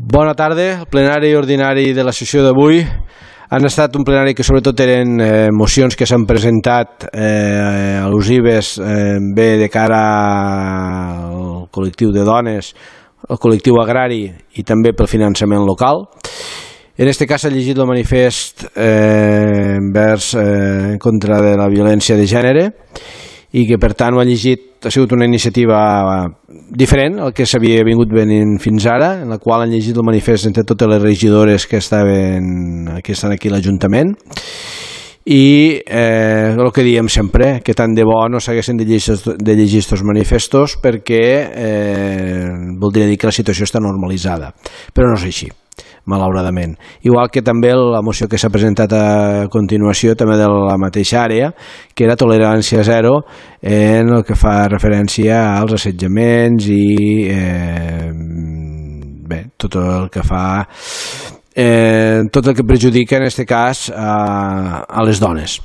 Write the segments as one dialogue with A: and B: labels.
A: Bona tarda. El plenari ordinari de la sessió d'avui han estat un plenari que sobretot eren mocions que s'han presentat al·lusives bé de cara al col·lectiu de dones, al col·lectiu agrari i també pel finançament local. En aquest cas s'ha llegit el manifest en contra de la violència de gènere i que per tant ho ha llegit, ha sigut una iniciativa diferent al que s'havia vingut venint fins ara, en la qual han llegit el manifest entre totes les regidores que estan aquí a l'Ajuntament i el que diem sempre, que tant de bo no s'haguessin de llegir aquests manifestos perquè voldria dir que la situació està normalitzada, però no és així, malauradament. Igual que també la moció que s'ha presentat a continuació, també de la mateixa àrea, que era tolerància zero en el que fa referència als assetjaments i bé, tot el que fa tot el que perjudica en aquest cas a les dones.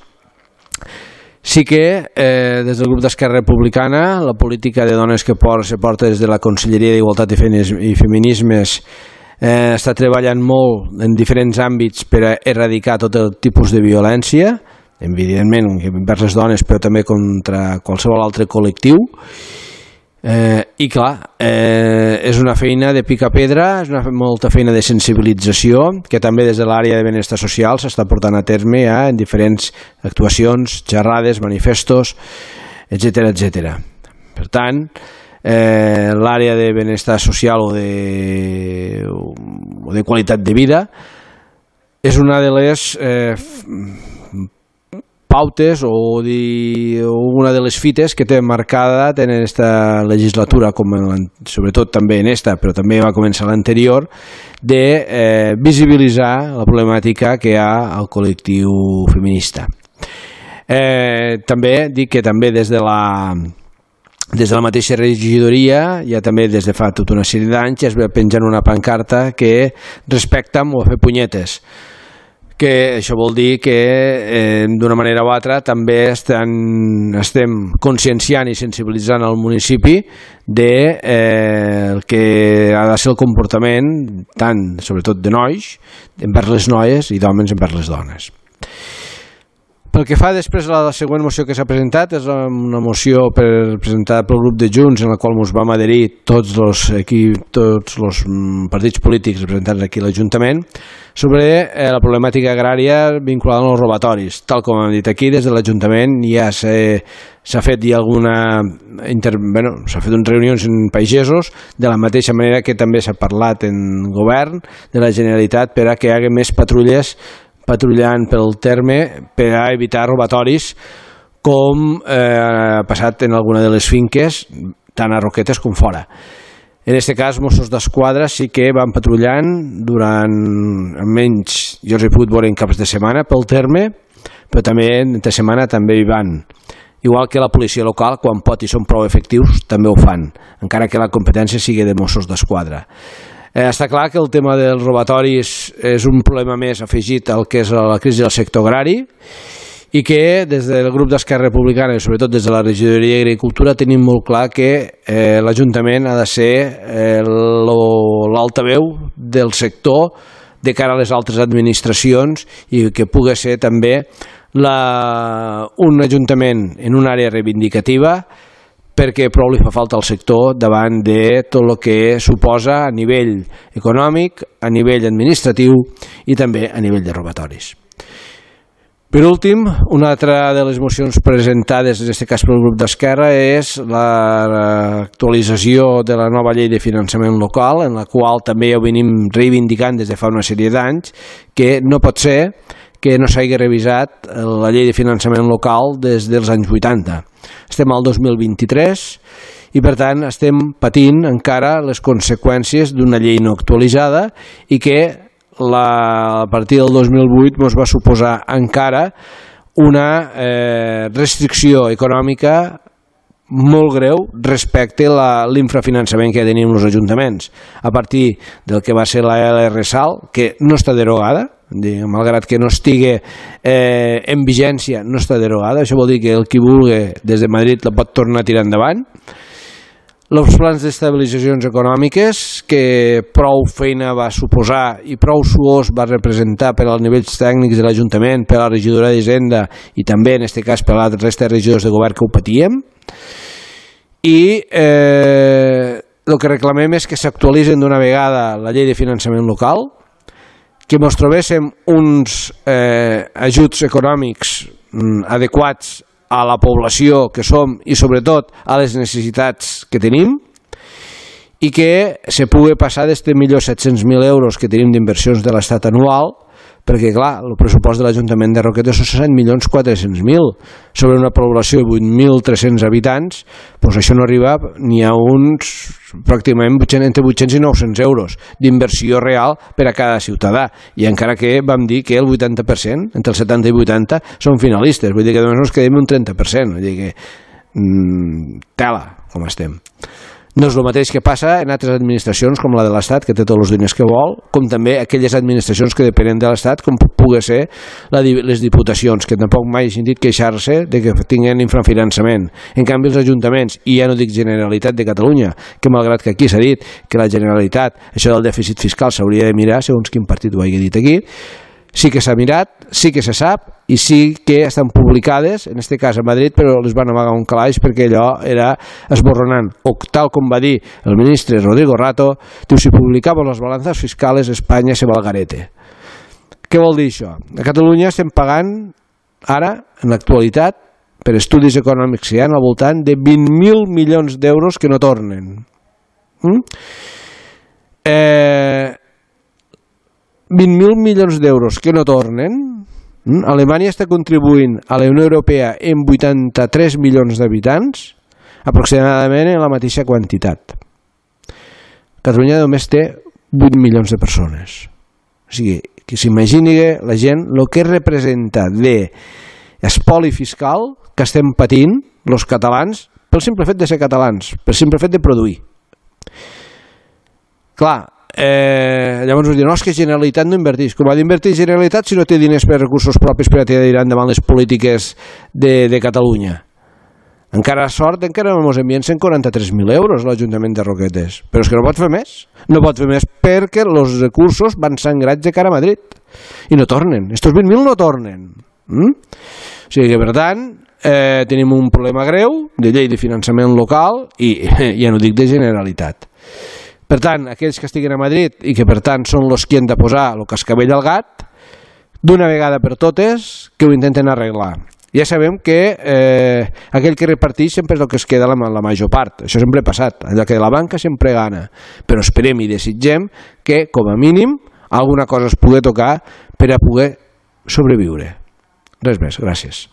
A: Sí que des del grup d'Esquerra Republicana la política de dones que se porta des de la Conselleria d'Igualtat i Feminismes està treballant molt en diferents àmbits per a erradicar tot el tipus de violència, evidentment envers les dones però també contra qualsevol altre col·lectiu. I clar, és una feina de picar-pedra, és molta feina de sensibilització que també des de l'àrea de benestar social s'està portant a terme en diferents actuacions, xerrades, manifestos, etc. Per tant, l'àrea de benestar social o de qualitat de vida és una de les pautes o una de les fites que té marcada en aquesta legislatura, sobretot també en esta, però també va començar l'anterior, de visibilitzar la problemàtica que hi ha al col·lectiu feminista. També dic que també des de la mateixa regidoria, ja també des de fa tota una sèrie d'anys, es va penjant una pancarta que respecta'm o a fer punyetes, que això vol dir que d'una manera o altra també estem conscienciant i sensibilitzant el municipi del que ha de ser el comportament tant, sobretot de nois, envers les noies i d'homes envers les dones. Pel que fa després a la següent moció que s'ha presentat, és una moció presentada pel grup de Junts en la qual ens vam adherir tots els partits polítics representats aquí a l'Ajuntament sobre la problemàtica agrària vinculada als robatoris. Tal com hem dit aquí, des de l'Ajuntament ja s'ha fet s'ha fet unes reunions en pagesos, de la mateixa manera que també s'ha parlat en govern de la Generalitat per a que hi hagi més patrullant pel terme per a evitar robatoris com ha passat en alguna de les finques, tant a Roquetes com fora. En aquest cas, Mossos d'Esquadra sí que van patrullant durant, almenys jo els he pogut veure en caps de setmana pel terme, però també entre setmana també hi van. Igual que la policia local, quan pot i són prou efectius, també ho fan, encara que la competència sigui de Mossos d'Esquadra. Està clar que el tema dels robatoris és un problema més afegit al que és la crisi del sector agrari i que des del grup d'Esquerra Republicana i sobretot des de la regidoria d'Agricultura tenim molt clar que l'Ajuntament ha de ser l'altaveu del sector de cara a les altres administracions i que pugui ser també un Ajuntament en una àrea reivindicativa perquè prou li fa falta al sector davant de tot el que suposa a nivell econòmic, a nivell administratiu i també a nivell de robatoris. Per últim, una altra de les mocions presentades, en aquest cas pel grup d'Esquerra, és l'actualització de la nova llei de finançament local, en la qual també ja ho venim reivindicant des de fa una sèrie d'anys, que no pot ser que no s'hagi revisat la llei de finançament local des dels anys 80. Estem al 2023 i per tant estem patint encara les conseqüències d'una llei no actualitzada i que a partir del 2008 ens va suposar encara una restricció econòmica molt greu respecte a l'infrafinançament que tenim els ajuntaments a partir del que va ser la LRSAL, que no està derogada, malgrat que no estigui en vigència, no està derogada. Això vol dir que el qui vulgui des de Madrid la pot tornar a tirar endavant. els plans d'estabilitzacions econòmiques, que prou feina va suposar i prou suós va representar per als nivells tècnics de l'Ajuntament, per a la regidoria d'Hisenda i també, en aquest cas, per a la resta de regidors de govern que ho patíem. I el que reclamem és que s'actualitzen d'una vegada la llei de finançament local, que ens trobéssim uns ajuts econòmics adequats a la població que som i sobretot a les necessitats que tenim, i que se pugui passar d'este 1.700.000 euros que tenim d'inversions de l'Estat anual, perquè clar, el pressupost de l'Ajuntament de Roquetes són 7.400.000 sobre una població de 8.300 habitants, doncs això no arriba ni a uns pràcticament entre 800 i 900 euros d'inversió real per a cada ciutadà, i encara que vam dir que el 80%, entre el 70 i 80 són finalistes, vull dir que només ens quedem un 30%, vull dir que tela com estem. No és el mateix que passa en altres administracions com la de l'Estat, que té tots els diners que vol, com també aquelles administracions que depenen de l'Estat, com pugui ser les diputacions, que tampoc mai he sentit queixar-se de que tinguin infrafinançament. En canvi, els ajuntaments, i ja no dic Generalitat de Catalunya, que malgrat que aquí s'ha dit que la Generalitat, això del dèficit fiscal s'hauria de mirar, segons quin partit ho hagi dit aquí, sí que s'ha mirat, sí que se sap i sí que estan publicades, en aquest cas a Madrid, però les van amagar un calaix perquè allò era esborronant. O tal com va dir el ministre Rodrigo Rato, diu, si publicamos las balanzas fiscales Espanya se va al garete. Què vol dir això? A Catalunya estem pagant ara, en l'actualitat, per estudis econòmics que hi ha al voltant de 20.000 milions d'euros que no tornen. 20.000 milions d'euros que no tornen. Alemanya està contribuint a la Unió Europea en 83 milions d'habitants, aproximadament en la mateixa quantitat. Catalunya només té 8 milions de persones. O sigui, que s'imagini la gent el que representa d'espoli fiscal que estem patint els catalans pel simple fet de ser catalans, pel simple fet de produir. Clar, llavors us diuen, no, és que Generalitat no inverteix. Com ha d'invertir Generalitat si no té diners per recursos propis per a tirar endavant les polítiques de Catalunya? Encara sort, encara ens envien 143.000 euros l'Ajuntament de Roquetes, però és que no pot fer més. No pot fer més perquè els recursos van sangrats de cara a Madrid i no tornen. Estos 20.000 no tornen. O sigui que, per tant, tenim un problema greu de llei de finançament local i ja no dic de Generalitat. Per tant, aquells que estiguin a Madrid i que per tant són els que han de posar el cascabell al gat, d'una vegada per totes que ho intenten arreglar. Ja sabem que aquell que reparteix sempre és el que es queda la major part. Això sempre ha passat. Allò que la banca sempre gana. Però esperem i desitgem que, com a mínim, alguna cosa es pugui tocar per a poder sobreviure. Res més. Gràcies.